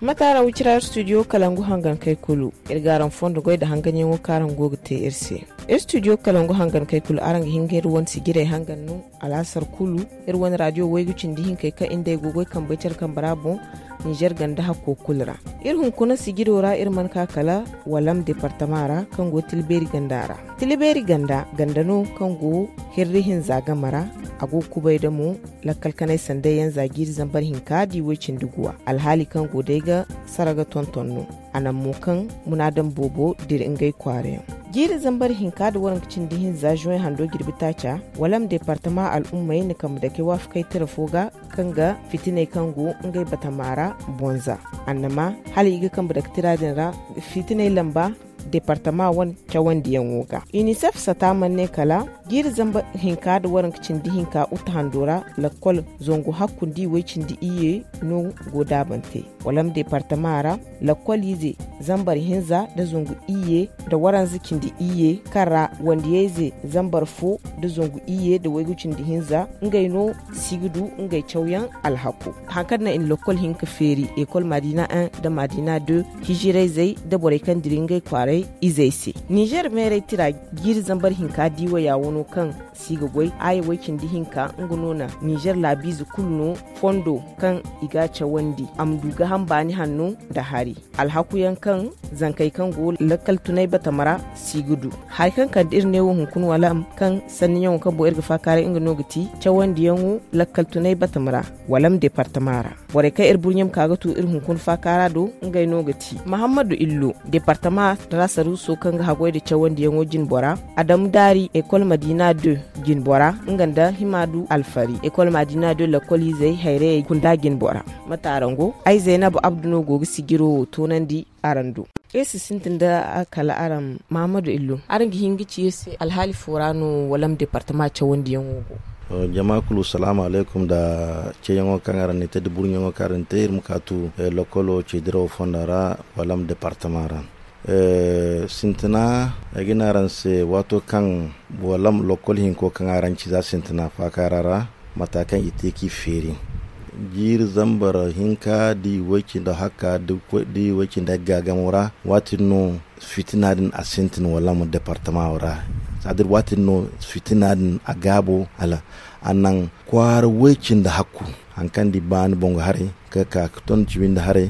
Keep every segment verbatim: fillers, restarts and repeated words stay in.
Mate araŋ wicira iri studio kalangu hangan kay kulu. Iri ga araŋ fondo goy nda hanganyaŋo kaŋ araŋ go ga te iri se. Iri studio kalangu hangan kay kulu, araŋ ga hin ga iri wane sijirey hangan no alaasar kulu. Iri wane radio waygu cindi hinkey kaŋ iri nd'ey go goy kambey care kambe ra boŋ, nizer ganda hakko kulu ra. Iri hunkuna sijiro ra iri mana ka kala walam departama ra, kaŋ go tilibeeri ganda ra. Tilibeeri ganda ganda no kaŋ go hirri hinza game ra. A go ga kubay da mo lakkal kanay sanday yaŋ za jiiri zambar hinka da i way cindi guwa, alhaali kaŋ go day ga sara ga tonton no. A naŋ mo kaŋ munaadam boobo dira ngey kwaara yaŋ. Jiiri zambar hinka da waranka cindi hinza juwen hando jirbi taaca, walam departama al'ummey na kambe dake waafakay tira fo ga, kaŋ ga fitiney kaŋ go ngey batama ra bonza. Annama hala i ga kambe dake tira din ra, fitiney lamba departama wane cawandiyaŋo ga. Inisef sata mana ne kala jiiri zamba hinka da waranka cindi hinka uta hando ra, lakkol zangu hakku nda i way cindi iyye no go daabante. Walam departama ra, lakkol ize zambar hinza da zangu iyye da waranza cindi iyye, kaŋ ra wandiyayze zambar fo da zangu iyye da waygu cindi hinza, ngey no si ga du ngey cawyaŋ alhako. Haŋ kaŋ naŋ i na lakkol hinka feeri, ekol madina un da madina deux, hijirayzey da borey kaŋ dira ngey kwaaray izey se. Nizer meeray tira jiiri zambar hinka diiwaya wano kaŋ si ga goy, aya way cindi hinka nga no naŋ nizer laabiize kulu no fondo kaŋ i ga a cawandi. A ma du ga hambaani hanno nda hari alhakuyaŋ kaŋ zankey kaŋ go lakkal tunay batama ra si ga du. Hari kaŋ kande iri ne wo hunkuna walam kaŋ sanniyaŋo kaŋ boŋ iri ga faakaaray nga no ga ti cawandiyaŋo lakkal tunay batama ra, walam departama ra. Borey kaŋ iri burɲe ma ka ga tu iri hunkuna faakaara do, ngey no ga ti mahammadu illo, departama ra saruuso kaŋ ga haggoy nda cawandiyaŋo jinbora, adamu daari ekol madina deux jinbora, nga nda himaadu alfari ekol madina deux lakkol izey hayrayey kunda jinbora. Mate araŋ go? Ay zaynab abdu no go ga sijiro wo toonandi araŋ do. Iri si sintin nda kala araŋ, mahamadu illo, araŋ ga hin ga ci iri se alhaali fo ra no walam departama cawandiyaŋo go? Jama kulu salaamu alaykum nda ceeyaŋo kaŋ araŋ na i te nda burɲaŋo kaŋ araŋ na i te iri ma ka tu lokolo ceedirawo fonda ra, walam departama ra. Sintina ay ga ne araŋ se, waato kaŋ walam lokol hinko kaŋ araŋ ci za sintina faakaara ra, mata kaŋ i te k'i feeri jiiri zambar hinka da i way cindi hakka da i way cindi gaagamo ra, waati din no fitina din a sintin walam departama ra. Saadir waati din no fitina din a gaabo hala a naŋ kwaara way cindi hakku, haŋ kaŋ da i baani boŋo haray ka ka ka ton cimi nda haray,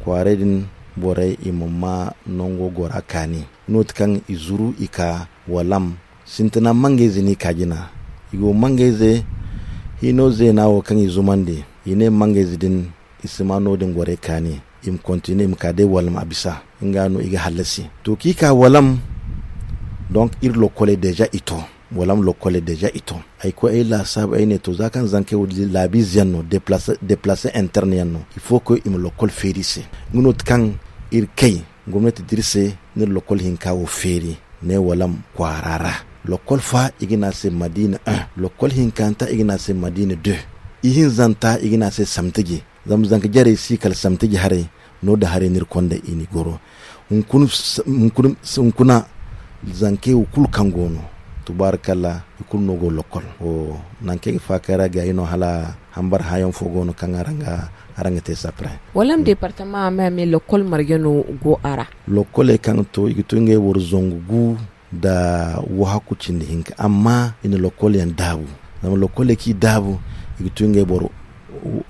kwaaray din borey i ma ma nango gora kaani. Nooti kaŋ i zuru i ka walam sintina mangayze no i ka jina. I go mangayze hino zeena wo kaŋ i zumandi, i ne mangayze din i si ma no- din gorey kaani, i ma kontine i ma ka day walam a bisa. Nga no i ga hallasi to kaŋ i ka walam. Donk iri lokkoley deeza i to. Walam lokkoley deeza i to. Ay koy ay laasaabu ay ne to za kaŋ zankey wo laabiize yaŋ no, deplace interne yaŋ no, il faut que i ma lokkol feeri i se. Nga no ti kaŋ iri kay gomnati da iri se, ni iri lokkol hinka wo feeri. Ne walam kwaara ra, lokkol fa i ga ne a se madina un, lokkol hinkanta i ga ne a se madina deux, ihinzanta i ga ne a se samtiji. Zama zanka jarey si kala samtiji haray. No da haray no iri konda i ni goro. Hunkuna zankey wo kulu kaŋ go no, tubaarikalla i kulu no go lokkol. Nangu kaŋ ay ga faakay ra gaayi no hala hambar hãayaŋ fo go no kaŋ araŋ ga te sapre. Walam departama a me a me lokkol marje no go a ra? Lokkoley kaŋ to i ga to ngey boro zangu gu nda wahakku cindi hinka amma i na lokkol yaŋ daabu. Zama lokkoley kaŋ i daabu i ga to ngey boro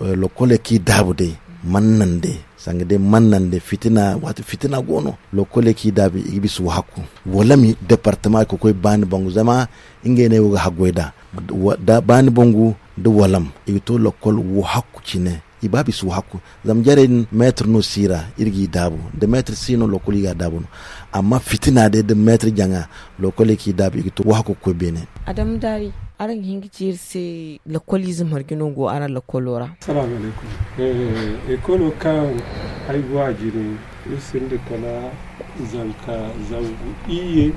lokkoley kaŋ i daabu day, mannande sanga day mannande fitina waati fitina go no. Lokkoley kaŋ i daabu i ga bisa wahakku. Walami departama ga koy baani bangu zama ngey no ay wo ga haggoy nd'a. Baani bangu nda walam i ga to lokkol wahakku cine. I ba bisa wahakku. Zama jarey din meetir no si ra iri g'i daabu. Da meetir si no lokkol i ga a daabu no. Amma fitina day da meetir jaŋa, lokkoley kaŋ i daabu i ga to wahakku ga koy beene. Adamu daari, araŋ ga hin ga ci iri se lakkoliize marje no go araŋ lakkolo ra? Salaamu alaykum. Ekolo kaŋ ay go a jine, iri sinda kala zanka zangu iyye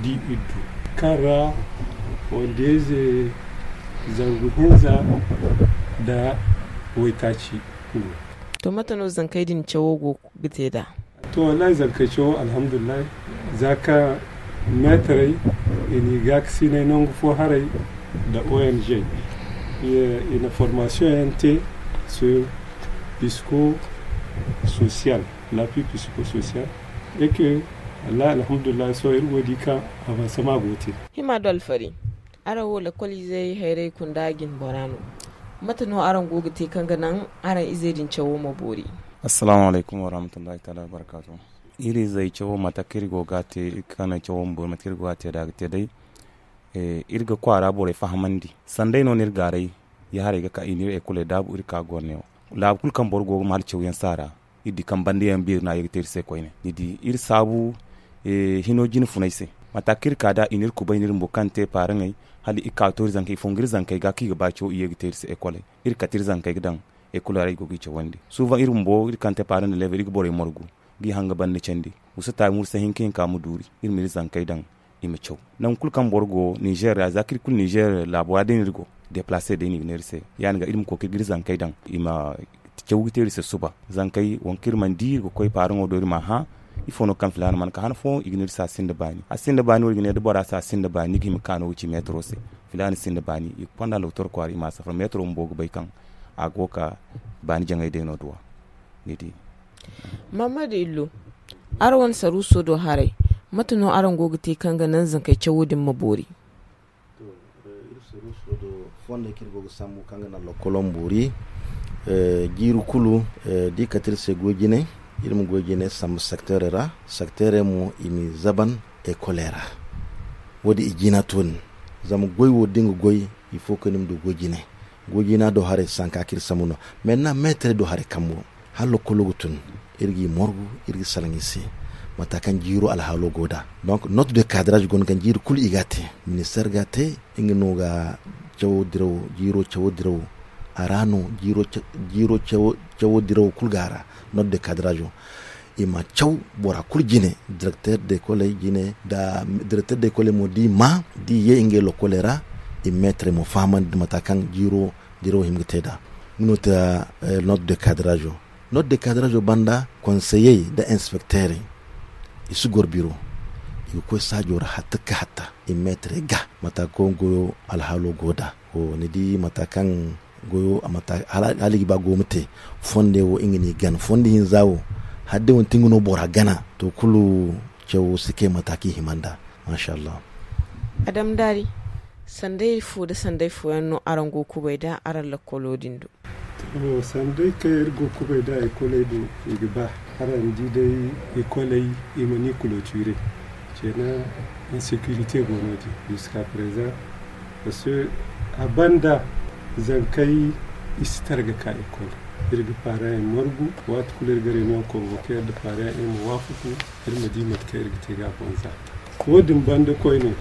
da iddu, kaŋ ra wandeyze zangu hinza nda waytaaci go. To mate no zankey din cawo go ga te nd'a? To wallahi zankey cawo alhamdulillahi. Za kaŋ meetarey i n'i gaakasinay nangu fo haray nda ong, i na formasiyoŋ yaŋ te sur pisco, social, l'appui psychosocial, et que, wallahi, alhamdulillah, sohõ iri go ga di kaŋ avansama go ga te. Hima do alfari, araŋ wo lakolizey hayray kunda jine bora no. Mate no araŋ go ga te kaŋ ga naŋ araŋ izey din cawo ma boori? Assalamu alaykum warahmatullahi taala wabarakatuh. Iri izey cawo, mate kaŋ iri go ga a te, iri kaŋ naŋ cawo ma boori, mate kaŋ iri go ga a te da a ga te day. Iri ga kwaara borey fahamandi. Sanday no no iri gaaray, ya haray ga ka i n'iri ekoley daabu, iri ka goro neewo. Laabu kulu kaŋ boro go ga ma hala cawyaŋ saara, iri di kaŋ banda yaŋ beeri no a ye ga te iri se koyne. Ni di iri saabu hino jine funay se. Mate kaŋ iri ka da i n'iri kubay, n'iri bumbo kaŋ te paaraŋey, hala i ka to iri zankey, i fongu iri zankey ga kaŋ i ga ba caw, i ye ga te iri se ekoley. Iri kate iri zankey ga daŋ ekoley ra, i go ga i cawandi. Suuvaŋ iri bumbo, iri kaŋ te paaraŋ da leebey, iri ga borey margu, ga i haŋ ga banda candi. Gusa taabi mursa hinka hinka ma duuri, iri ma iri zankey daŋ, i ma caw. Nangu kulu kaŋ boro go Nizer ra, za kaŋ iri kulu Nizer laabo ra day no iri go, deplace day no i ga ne iri se. Ya-din ga iri ma koy ga iri zankey daŋ, i ma caw ga te iri se suba. Zankey, wo kaŋ iri mana di, iri ga koy paaraŋo do, iri m'a hã. Ifo no kaŋ filaana mana ka han fooyaŋ, i ga ne iri se a sinda baani. A sinda baani wo, iri ga ne da bora se a sinda baani, ni ga hima ka no ga ci meetaro se. Filaana sinda baani, i ga konda lokotor kwaara, i m'a safar. Meetaro bumbo ga bay kaŋ a go ga ka baani jaŋay day no duw'a. Ni di. Maamadu Illo, araŋ wane saruuso do haray, mate no araŋ go ga te kaŋ ga naŋ zankey cawo din ma boori? To, eh, iri saruuso do fondey kaŋ iri go ga sambu kaŋ ga naŋ lokolo ma boori, eh, jiiri kulu, eh, da i kate iri se goy jine, iri ma goy jine sambu sekteerey ra, sekteerey mo i m'i zaban ekoley ra. Wo-din i jina to nin, zama goy wo da ni ga goy, il faut que ni ma du goy jine. Goy jina do haray sanka kaŋ iri sambu no. Maintenant, meetarey do haray kambo. Hala lokolo ga tun, iri g'i morgu, iri ga salaŋ i se mate kaŋ jiiro alhaalo go nd'a. Donc, note de cadrage go no kaŋ jiiri kulu i g'a te. Ministeer g'a te, nga no ga cawo diraw, jiiro cawo diraw. A ra no jiiro ca-, jiiro cawo, cawo diraw kulu go a ra. Note de cadrage o. I ma caw bora kulu jine, directeur d'école jine, nda directeur d'école mo da i maa, da i ye ngey lokoley ra, i ma meetarey mo fahamandi mate kaŋ jiiro dirawo hima ga te nd'a. Nga no ti, eh, note de cadrage o. Note de cadrage o banda, konseyey nda inspecteurey, i si goro biro. I ga koy saajo ra hatta ka hatta, i ma meetarey ga mate kaŋ goyo alhaalo go nd'a. Wo, ni di mate kaŋ goyo, a mate hala, hala i ga ba goyo ma te. Fonde wo, nga no i gana. Fonde hinza wo, hala day manti nga no bora gana, to, kulu cawo si kay mate kaŋ i hima nd'a. Masha Allah. Adam Daari, sanday fo nda sanday fooyaŋ no araŋ go ga kubay nd'a araŋ lakkolo din do? To, sanday kaŋ iri go ga kubay nd'a ekoley do, i ga ba. Araŋ di day, ekoley, i mana i clôturer. Kenan, insécurité go noodin, jusqu'à présent. Parce que a banda zankey, i si tara ga ka école. Iri ga parents yaŋ margu, waati kulu iri ga réunion convoquer nda parents yaŋ, iri ma waafaku, iri ma di mate kaŋ iri ga te ga a bonza. Wo-din banda koyne,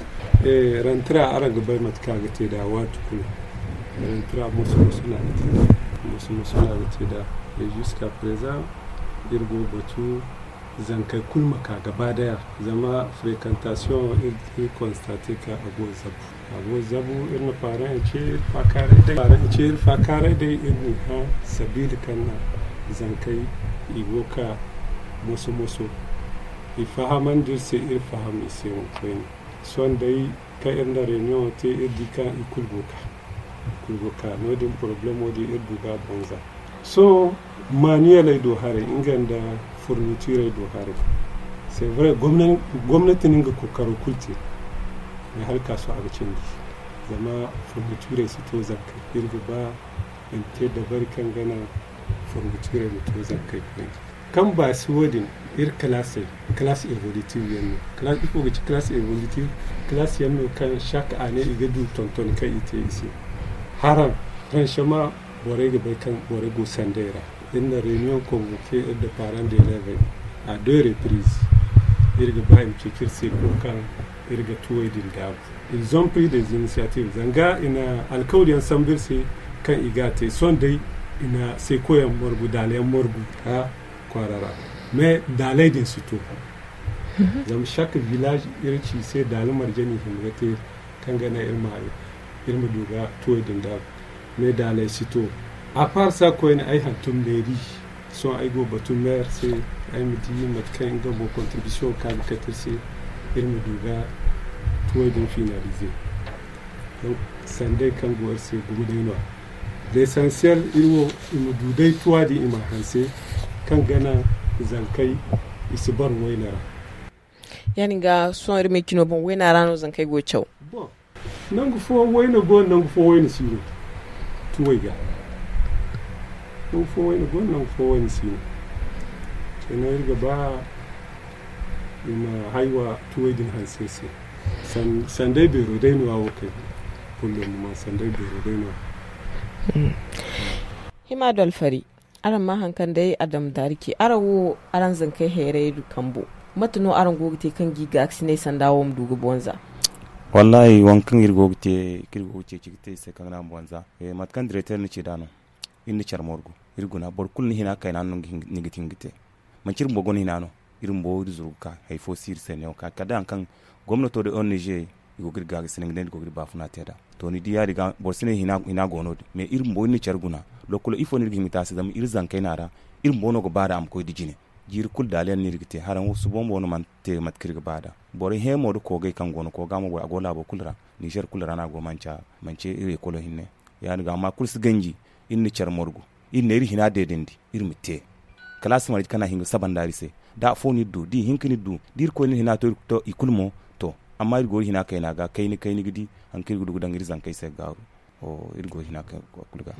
eh, rentrée, araŋ ga bay mate kaŋ a ga te nd'a waati kulu. Rentrée moso-moso no a ga te nd'a. Moso-moso no a ga te nd'a. Et jusqu'à présent, iri go ga batu zankey kulu ma ka gaba daya, zama fréquentation, iri, iri constater kaŋ a go ga zabu. A go ga zabu, iri na parents yaŋ ce iri faakaaray day. Parents yaŋ ce iri faakaaray day, iri n'i hã, sabili kaŋ na zankey, i go ga ka moso-moso. I fahamandi iri se, iri faham i se mo koyne. Sohõ day kaŋ iri na réunion te, iri di kaŋ i kulu go ga ka. I kulu go ga ka. Noodin problemo din iri du ga a bonza. Sohõ, manueley do haray, nga nda fourniturey do haray. C'est vrai, gomna-, gomnati na nga kookaro kulu te. Mais hala ka sohõ a ga cindi. Zama fourniturey si to zankey. Iri ga ba i ma te dabari kaŋ ga naŋ fourniturey ma to zankey koyne. Kaŋ ba si wo-din, iri classey, classe évolutive yaŋ no. Classe, ifo ga ci classe évolutive? Classe yaŋ no kaŋ chaque année i ga du tonton kaŋ i te i se. Haraŋ, franchement, borey ga bay kaŋ borey go sanday ra. Iri na réunion convoquer iri nda parents d'élèves à deux reprises. Iri ga ba i ma ceeci iri se kulu kaŋ iri ga tuwey din daabu. Ils ont pris des initiatives. Zanga i na alkawli yaŋ sambu iri se kaŋ i ga a te. Sohõ day, i na seeko yaŋ margu, daala yaŋ margu, ha, kwaara ra. Mais daaley din si to. Zama chaque village iri ci i se daala marje no i hima ga te, kaŋ ga naŋ iri ma, iri ma du ga tuwey din daabu. Mais daaley si to. À part ça koyne, ay hantum mairie. Sohõ ay go ga batu maire se, ay ma di mate kaŋ nga mo contribution kaŋ a ga kate iri se, iri ma du ga tuwey din finaliser. Donc, sanday kaŋ go iri se gumo day no-ya. L'essentiel, iri wo, i ma du day tuwa din, i ma hanse, Kaŋ gana zankey i si bara wayna ra. Ya- din ga sohõ iri ma i cino boŋ wayna ra no zankey go ga caw. Nangu fo wayna go no, nangu fo wayna si no. Tuwey ga nangu fo wayna go no, nangu fo wayna si no. Cine iri ga ba i ma haywa tuwey din hanse se. Sanday beero day no a wo kay. Kullum ma sanday beero day no. Hima do alfari. Araŋ ma haŋ kaŋ day a dam daari ce araŋ wo araŋ zankey heeray du kambo. Mate no araŋ go ga te kaŋ ga i gaakasinay sanda wo ma du ga bonza? Wallahi waŋ kaŋ iri go ga te kaŋ iri go ga ceeci ga te i se kaŋ ga naŋ a ma bonza. Mate kaŋ direteer ni ci nd'a no. Iri na care morgu iri guna boro kulu ni hina kayna no ni ga hin ga te. Manci iri bumbo gonda hina no. Iri bumbo iri zuru ga ka hari fo si iri se neewo ka kala day hari kaŋ gomnato da ong i go ga iri gaagasinay ga ne iri go ga iri baafuna te nd'a. To ni di ya- din ga boro si ne hina go no- din mais iri bumbo iri na care guna. Lokkolo ifo no iri ga hima ga te a se zama iri zankey no a ra. Iri bumbo no ga ba nd'a a ma koy nda jine. Jiiri kulu daali yaŋ no iri ga te haraŋ wo suba bumbo no mana te mate kaŋ iri ga ba nd'a. Borey heemo nda koogey kaŋ go no kooga mo a go laabo kulu ra. Nizer kulu ra no a go manci iri ekolo hinne. Ya- din ga amma kulu si ganji. Iri na care morgu iri ne iri hina deedandi iri ma te. Kala a si marje kaŋ a hin ga saba nda iri se. Da afo no iri du da ihinka no iri du da irkoy no iri hina to i kulu mo. To amma iri go iri hina kayna ga kayna kayna ga di. Hari kaŋ iri ga du ga daŋ iri zankey se ga gaaru. Iri go iri hina kulu ga.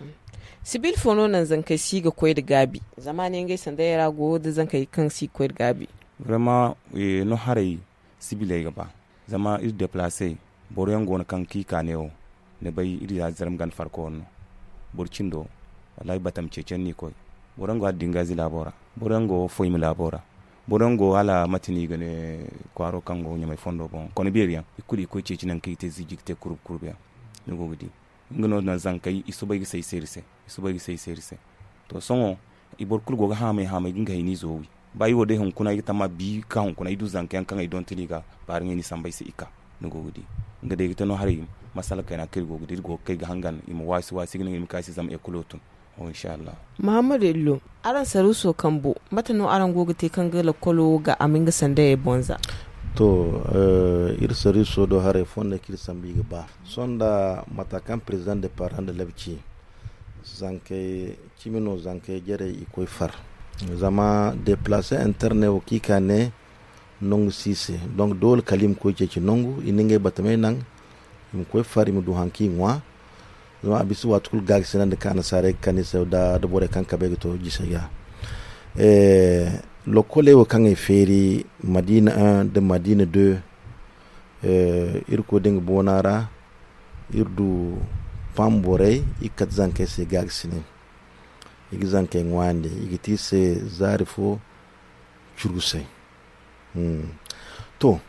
Sibil fo no naŋ zankey si ga koy nda gaabi? Zama a ne ngey sanday ra go nda zankey kaŋ si ga koy nda gaabi. Vraiment no haray sibiley ga ba. Zama iri deplaase boro yaŋ go no kaŋ kaŋ i ka neewo ni bay iri ya zarma ganda farko no. Boro cindo wallahi batama ceeci yaŋ no i koy. Boro yaŋ go hala dingazi laabo ra. Boro yaŋ go foyma laabo ra. Boro yaŋ go hala mate no i ga ne kwaaro kaŋ go ɲamay fondo boŋ kone beeri yaŋ i kulu i koy ceeci nangu kaŋ i ga te ziiji ga te kurub kurub yaŋ. Ni go ga di nga no naŋ zankey i soobay ga say se iri se. I soobay ga say se iri se. To sohõ i boro kulu go ga haamay haamay ga nga hayni izo wi. Ba i wo day hunkuna ay ga tamma bi ka hunkuna ay du zanka yaŋ kaŋ ay donton i ga baari ŋay ni samba ay se i ka. Ni go ga di nga day ga te no haray masala kayna kaŋ iri go ga di iri go ga kay ga hangan i ma waasi waasi ga naŋ i ma ka ay se zama ekolo tun. Inshallah. Muhammadu illo, araŋ saruuso kambo mate no araŋ go ga te kaŋ ga lakkolo ga a ma nga sandayey bonza? To, iri saruuso do haray fondo kaŋ iri sambu i ga ba sohõ nda mata kaŋ président de parent de lab ci. Zankey cimi no zankey jarey i koy far. Zama deplace interne wo kaŋ i ka ne nangu si i se. Donc doole kala i ma koy ceeci nangu i na ngey batamey naŋ. I ma koy far i ma du hari kaŋ i ŋwa. Zama a bisa waati kulu gaagasinandi kaŋ annasaarey ga kande i se nda borey kaŋ kabey ga to jisey ga. Lokkoley wo kaŋ ay feeri madina un nda madina deux. Iri koy da nga boona ra. Iri du pam borey iri ga kate zankey se gaagasinay. I ga zankey ŋwaayandi i ga te i se zaari fo. Curgusay. To,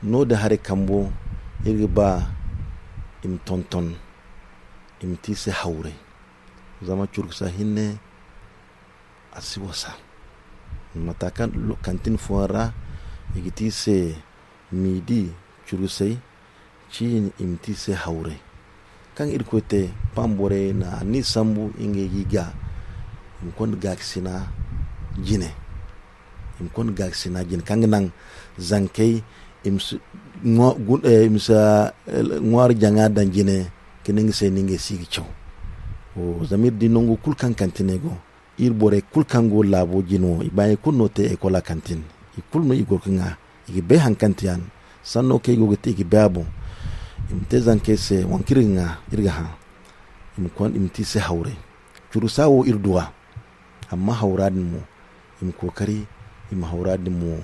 no- din haray kambo iri ga ba i ma tonton i ma te i se hawray. Zama curgusa hinne a si wasa. Mata kaŋ kantin fooyaŋ ra i ga te i se miidi curgusay ciini i ma te i se hawray. Kaŋ irkoy te pam borey na anniya sambu ngey ga i ga i ma konda gaakasina jine. I ma konda gaakasina jine kaŋ ga naŋ zankey i ma si ŋwaari jaŋa daŋ jine. Ka ne nga se no ngey si ga caw. Zama iri di nangu kulu kaŋ kantiney go iri borey kulu kaŋ go laabo jine wo i baaɲey kulu no te ekola kantin. I kulu no i goro ga ŋwa i ga bay hari kaŋ te yaŋ sanno kaŋ i go ga te i ga bay a boŋ. I ma te zankey se waŋ kaŋ iri ga ŋwa iri ga hã. I ma te i se hawray. Curusa wo iri du a. Amma hawra din mo i ma kookari i ma hawra din mo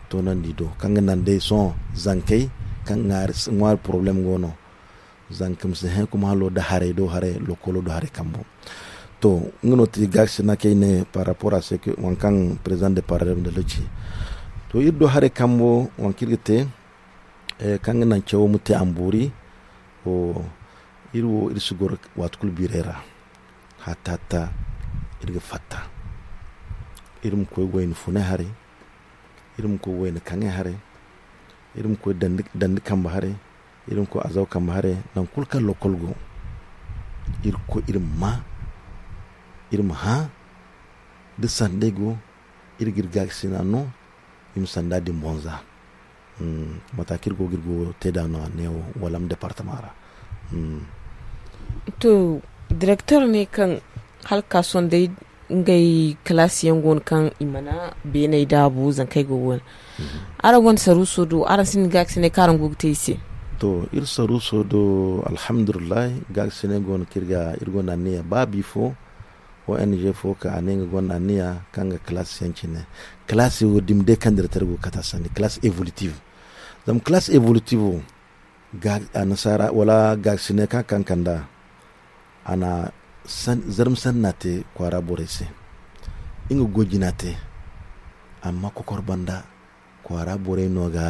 toonandi do kaŋ ga naŋ day sohõ zankey kaŋ ŋwaari poroblem go no. Zanka ma si hẽ kuma halo nda haray do haray lokolo do haray kambo. To nga no ti gaakasina kay ne par rapport à ce que waŋ kaŋ président de parlement de loci. To iri do haray kambo waŋ kaŋ iri ga te kaŋ ga naŋ cawo ma te a ma boori. Iri wo iri si goro waati kulu biiray ra. Hatta hatta iri ga fatta. Iri ma koy wayna funay haray. Iri ma koy wayna kaŋay haray. Iri ma koy dandi kambe haray. Iri ma koy azaw kambe haray nangu kulu kaŋ lokol go. Iri ga koy iri ma maa. Iri ma hã da sanday go. Iri ga iri gaakasina no. I ma sanda din bonza. Mata kaŋ iri go ga iri go te nd'a no a ne wo walam departama ra. To direktor ne kaŋ hala ga ka sohõ day Ngey kalaasi yaŋ go no kaŋ i mana beeney daabu zankey go go no. Araŋ gonda saruuso do, araŋ sinda gaakasinay kaŋ araŋ go ga te i se? To, iri saruuso do, alhamdulillahi, gaakasinay go no kaŋ iri ga iri gonda anniya ba bi fo, ong fo kaŋ a ne nga gonda anniya kaŋ ga kalaasi yaŋ cine. Kalaasi wo dumi day kaŋ dira tara go ga kata sanni kalaasi evolutive. Zama kalaasi evolutive wo, annasaara wala gaakasinay kaŋ a kankanda, a na zarma sanna te kwaara borey se. Nga goy jina te, amma kokor banda kwaara borey no ga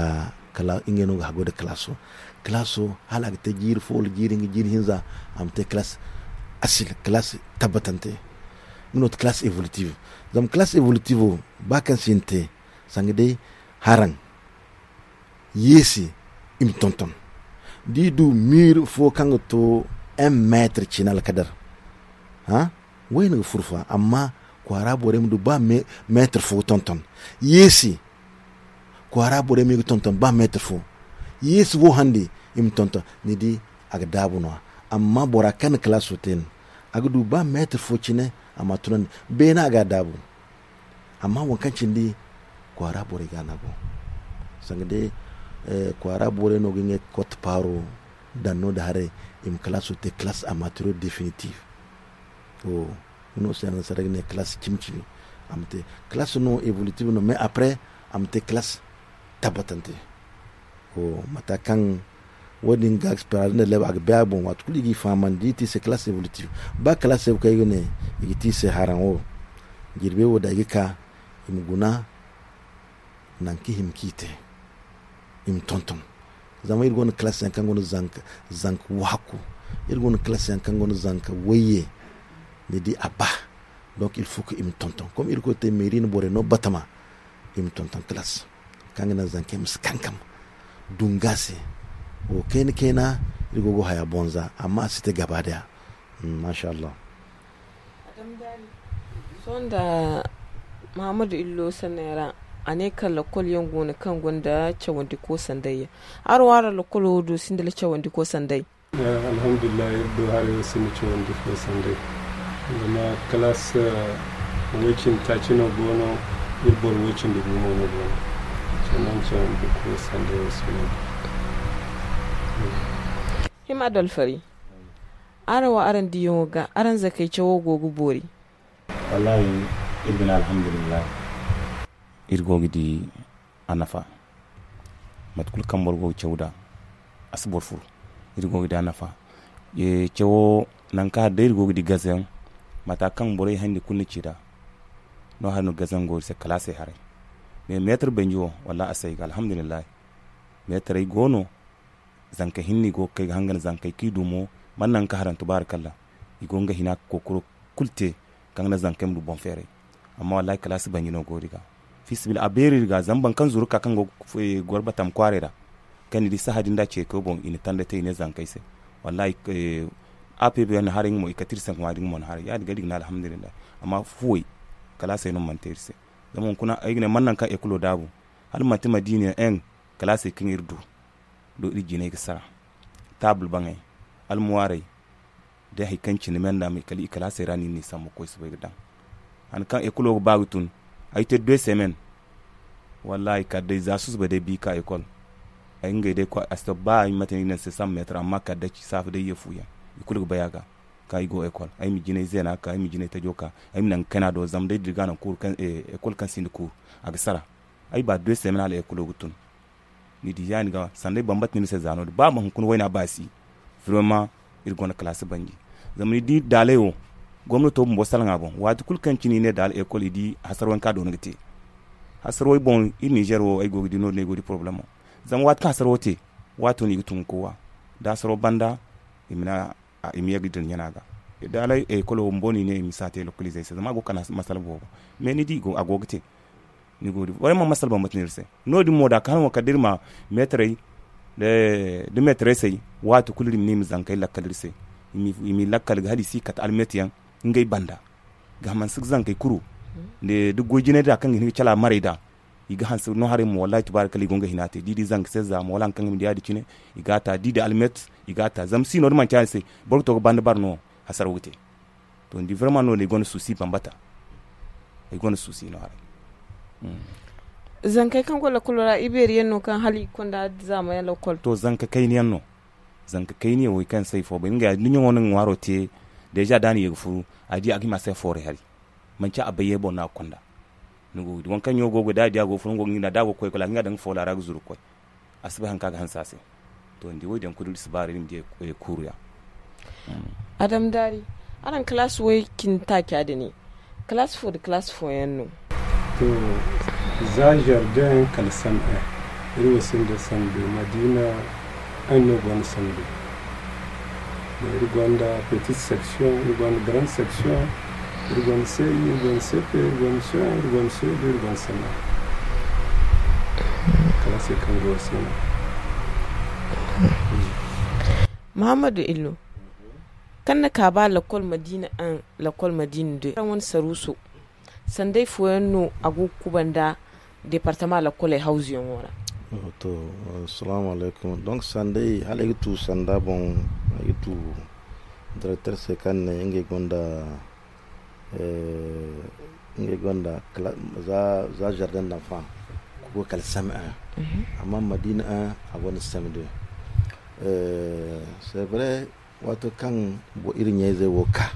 kala ngey no ga hagu nda kalaaso. Kalaaso hala a ga te jiiri fo wala jiiri hinza, a ma te kalaas asil, kalaas tabbatante. Nga no ti kalaas evolutive. Zama kalaas evolutive wo, ba kaŋ si hin te sanga day haraŋ, yeesi i ma tonton. Da i du miir fo kaŋ ga to un meetar cine alkadar, wayna ga furo fa, amma kwaara borey ma du ba meetar fo ga tonton. Yeesi, kwaara borey ma i ga tonton ba meetar fo. Yeesi wo handi, i ma tonton. Ni di, a ga daabu no- ya. Amma bora kaŋ na kalaaso te no, a ga du ba meetar fo cine, a ma a tunandi. Beene a ga a daabu. Amma waŋ kaŋ cindi kwaara borey ga no a go. Sanga day kwaara borey no ga ngey kotte paaro daŋ no- din haray, i ma kalaaso te kalaas amateur definitive. Nga no se annasaara ga ne kalaas cimi-cimi. A ma te kalaas no evolutive no, mais après a ma te kalaas tabbatante. Mata kaŋ wo- din ga experience nda leb a ga bay a boŋ, waati kulu i g'i fahamandi i ti i se kalaas evolutive. Ba kalaas evolutive kaŋ i ga ne i ga ti i se haraŋo, jirbe wo da i ga ka, i ma guna nangu kaŋ i hima kaŋ i te, i ma tonton. Zama iri gonda kalaas yaŋ kaŋ gonda zanka waaku, iri gonda kalaas yaŋ kaŋ gonda zanka wayye. Ni di a ba, donc il faut que i ma tonton, comme irkoy te meeri na borey no batama, i ma tonton kalaas kaŋ ga naŋ zankey ma si kankam dunga se. Wo kayna kayna, iri go ga haya bonza amma a si te gaba daya. Masha Allah. Sohõ nda mahammadu illo sanney ra, a ne kaŋ lakkol yaŋ go no kaŋ gonda cawandi koosanday yaŋ. Araŋ wo araŋ lakkolo wo do sinda cawandi koosanday? Alhamdulillahi, iri do haray wo sinda cawandi koosanday. Zama kalaas way cindi taaci no go no, iri boro way cindi gu mo no go no. Cawandi koosanday wo si no. Hima adalfari, araŋ wo araŋ diyaŋo ga araŋ zakey cawo go ga boori? Wallaahi, iri ga ne alhamdulillahi. Iri go ga di a nafa. Mate kulu kaŋ boro go ga caw nd'a, a si boro furu. Iri go ga di a nafa. Cawo nangu kaŋ hari day iri go ga di gaze yaŋ, mata kaŋ borey hayandi kulu na ci nd'a, no- hari no gaze yaŋ go iri se kala a se haray. Mais meetar banji wo, wallaahi a si ay ga alhamdulillahi. Meetarey go no, zanka hinne i go ga kay ga hangan zankey kaŋ i du mo, mana nangu kaŋ harantu baara kalla. I go ga nga hina ga kookaro kulu te kaŋ ga naŋ zankey ma du boŋ feeray. Amma wallaahi kalaasi banji no go iri ga, fiisabilillahi a beeri iri ga zama boro kaŋ zuru ga ka kaŋ go ga goro batam kwaaray ra, kaŋ ni di sahã din da ceekoy boŋ i na tanda te i ne zankey se. Wallaahi, a peebi yaŋ na haray nga mo i kate iri se ŋwa din mo na haray ya- din ga iri ga ne alhamdulillahi. Amma fuwey, kalaasey no mana te iri se. Zama hunkuna ay ga ne mana nangu kaŋ ekulo daabu, hala manti madiina yaŋ, kalaasey kaŋ iri du do iri jinay ga sara, taabul baŋey, almuwaarey, da hari kaŋ cine me nd'a me kala i kalaasey ra no iri n'i sambu ga koy soobay ga daŋ. Han kaŋ ekulo ga ba ga tun, ay te deux semaines, wallaahi kala day za susuba day bi ka ekol. Ay ngey day koy a si to ba ay mate no i ne ni se cent mètres amma kala day saafa day ye fu yaŋ, i kulu ga bay a ga. Ka i go ekol ay ma jinay zeena ka ay ma jinay tajo ka, ay ma nangu kayna do zama day da iri ga a naŋ kuuru ekol kaŋ sinda kuuru, a ga sara. Ay ba deux semaines hala ekulo ga tun. Ni di ya- din ga sanda ay bambata no iri se za no- din ba ma hunkuna wayna baasi. Vraiment, iri gonda kalaasi banji. Zama ni di daaley wo, gomnato bumbo salaŋ a boŋ waati kulu kaŋ cine i ne daala ekol i di hasarwey kaŋ a doona ga te. Hasarwey boŋ iri nizer wo ay go ga di no- din ay go ga di problemo. Zama waati kaŋ hasarwo te, waato no i ga tun ga kowa da hasarwo banda, i ma ne a i ma ye ga dira ɲana ga. Daaley ekolo bumbo no i ne i ma si a te lokalizey se zama a go ga kana masala boobo. Mais ni di a go ga te. Ni go ga di borey mana masala bambata no iri se. No- din mo da a ka hala mo kala da iri ma meetarey da meetarey say, waati kulu iri ma ne i ma zankey lakkal iri se. I m'i lakkal ga hala i si kate almet yaŋ ngey banda. Ga mansi ga zankey kuru da goy jinay da kaŋ ga hin ga cala marey da. I ga hanse no haray mo wallahi tubaari kala i go nga hina te da i di zanka se za mo wala hari kaŋ ga ma di ya- din cine. I ga a ta da i di almet, i ga a ta zama si no- din manti ya- din se. Boro ga to ga banda bara no hasaraw ga te. To ni di vraiment no- din i gonda susi bambata. Ay gonda suusi no haray. Zankey kaŋ go lakolo ra ibeeri yaŋ no kaŋ hala i konda zaama yaŋ lakol? To, zanka kayna yaŋ no. Zanka kayna yaŋ wo kaŋ se ay fo bay nga ya da ɲaŋo no nga ŋwaaro te. Deeza da a na ye ga furu a di a ga hima se foore hari. Manci a bay ye boŋ no a ga konda. Ni go ga di waŋ kaŋ ɲaŋo go ga da a di a go ga furu nga go ga ɲina da a go ga koy kala a ga ɲina daŋ ga foola ra ga zuru ga koy. A si bay haŋ kaŋ a ga hanse a se. To ni di wo- din kulu iri si baara iri ma di kuuru ya. Adam daari, araŋ kalaasi way cindi taaca din ne kalaasi fo nda kalaasi fooyaŋ no? To, za jardin kala sam'e. Iri wo sinda samdu madiina. Ay no gonda samdu. Iri gonda petite section, iri gonda grande section, iri gonda ce un, iri gonda ce un, iri gonda ce deux, iri gonda sam'e. Kala se kaŋ go se no. Muhammadu illo, kaŋ na ka ba lakol madiina un, lakol madiina deux araŋ wane saruuso, sanday fooyaŋ no a go ga kubanda departama lakoley hawzuyaŋo ra? To, assalamu alaykum. Donc sanday hala ay ga tu sanda boŋ, ay ga tu directeur se kaŋ ne ngey gonda ngey gonda za jardin d'enfant, ga koy kala same un. Amma madina un a gonda same deux. C'est vrai, waato kaŋ iri ɲayzey wo ka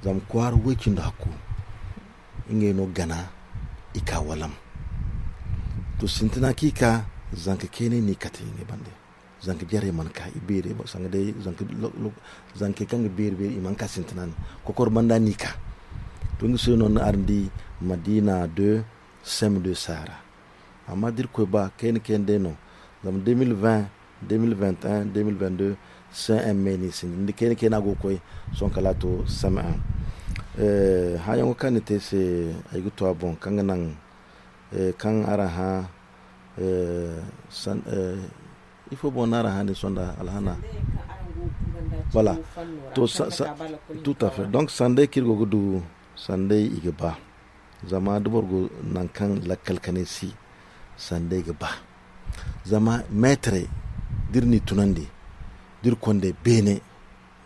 zama kwaara way cindi hakku, ngey no gana i ka walam. To sintina kaŋ i ka, zanka keenay no i kate ngey bande. Zanka jarey mana ka i beerey sanga day. Zankey kaŋ ga beeri beeri i mana ka sintina no kokoro banda no i ka. To nga se no ni araŋ di madina deux, same deux saara. Amma da iri koy ba kayna kayna day no. Zama deux mille vingt, deux mille vingt et un, deux mille vingt-deux, cme ni sinda ni di kayna kayna go ga koy. Sohõ kala a to cme un. Hããyaŋo kaŋ ni te ay se, ay ga to a boŋ kaŋ ga naŋ kaŋ araŋ hã. Ifo boŋ no araŋ hã din sohõ nda alhana? Voilà. To, tout à fait. Donc sanday kaŋ iri go ga du, sanday i ga ba. Zama da boro go nangu kaŋ lakkal kanay si, sanday ga ba. Zama meetarey da iri n'i tunandi, da iri konda beene,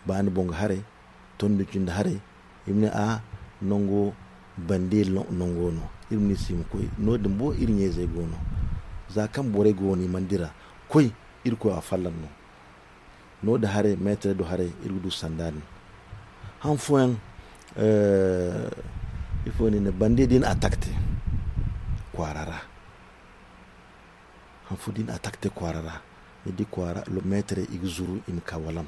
baani boŋ ga haray, tondi cindi haray, i ma ne a nango bande nango no. Iri ma ne i se i ma koy no- din bo iri ɲayzey go no. Za kaŋ borey go no i mana dira koy, irkoy a fallan no. No- din haray meetarey do haray iri ga du sanda din. Han fooyaŋ ifo no i ne bande da i na atak te kwaara ra. Han fo da i na atak te kwaara ra, ni di kwaara meetarey i ga zuru i ma ka walam.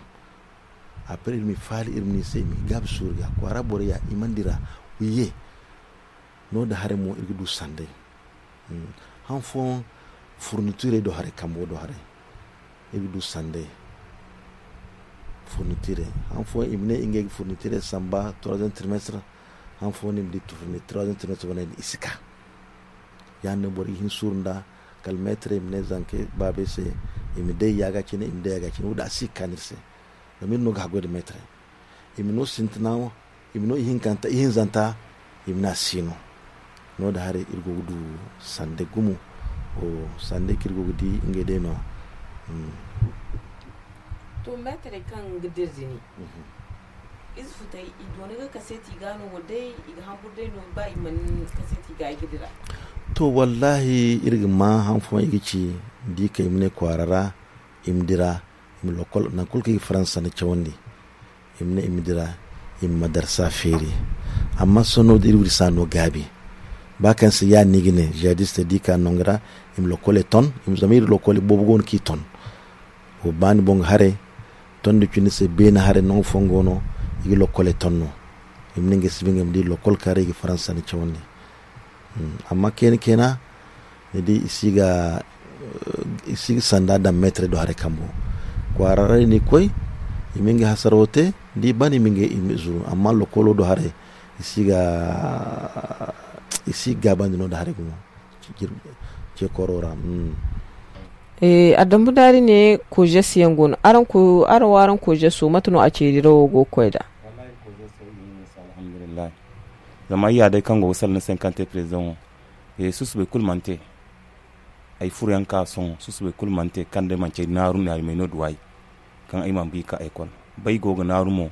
Après iri ma i faali iri ma ne i se i ma i gaabi suuru ga kwaara borey ya i mana dira. Wiye. No- din haray mo iri ga du sanday. Han fooyaŋ furnitirey do haray kambo do haray, iri ga du sanday. Furnitirey han fooyaŋ i ma ne ngey ga furnitirey samba troisième trimestre. Han fooyaŋ no i ma di furnitirey troisième trimestre wane i si ka. Ya- din no boro ga hin suuru nda kala meetarey i ma ne zankey baabey se, i ma day yaaga cine i ma day yaaga cine wo- din a si ga kaanu iri se. Zama iri no ga haggoy nda meetarey. I ma no sintina, i ma no ihinkanta ihinzanta, i ma ne a si no. No- din haray iri go ga du sande gumo. Sande kaŋ iri go ga di ngey day no- ya. To meetarey kaŋ ga dira din, ize futey i doona ga kaseeti ga no wala day i ga hamburu day no ba i mana kaseeti ga i ga dira? To wallahi iri ga ma han fooyaŋ i ga ci, da i kay i ma ne kwaara ra, i ma dira, i ma lokol nangu kulu kaŋ i ga faransa sanda cawandi, i ma ne i ma dira, i ma madarsa feeri. Amma sohõ no- din iri wiri si a no gaabi. Ba kaŋ se ya- din no i ga ne jihadistey da i ka nangu ra, i ma lokoley ton. Zama iri lokoley boobo go no kaŋ i ton. Wo baani boŋ ga haray, tondi cindi se beene haray nangu fooyaŋ go no, i ga lokoley ton no. I ma ne ngey si ba ngey ma di lokol kaŋ ra i ga faransa sanda cawandi. Amma kayna kayna, ni di i si ga i si ga sanda daŋ meetarey do haray kambo. Kwaara ra i na i koy, i ma ngey hasarawo te, da i ban i ma ngey i ma zuru amma lokolo do haray, i si ga i si ga gaabandi no- din haray gumo. Ce kooro ra. A dambu daari ne kojes yaŋ go no araŋ wo araŋ kojeso mate no a ceeri ra wo go ga koy nd'a? Alhamdulillahi. Zama ay ya day kaŋ go ga salaŋ ni se ni kaŋ te perezidaŋo, susubay kulu mana te. Ay furo yaŋ ka sohõ susubay kulu mana te kaŋ day manci ay naaru naarimay no duw'ay. Kaŋ ay mana ba i ka ekol, ba ay go ga naaru mo.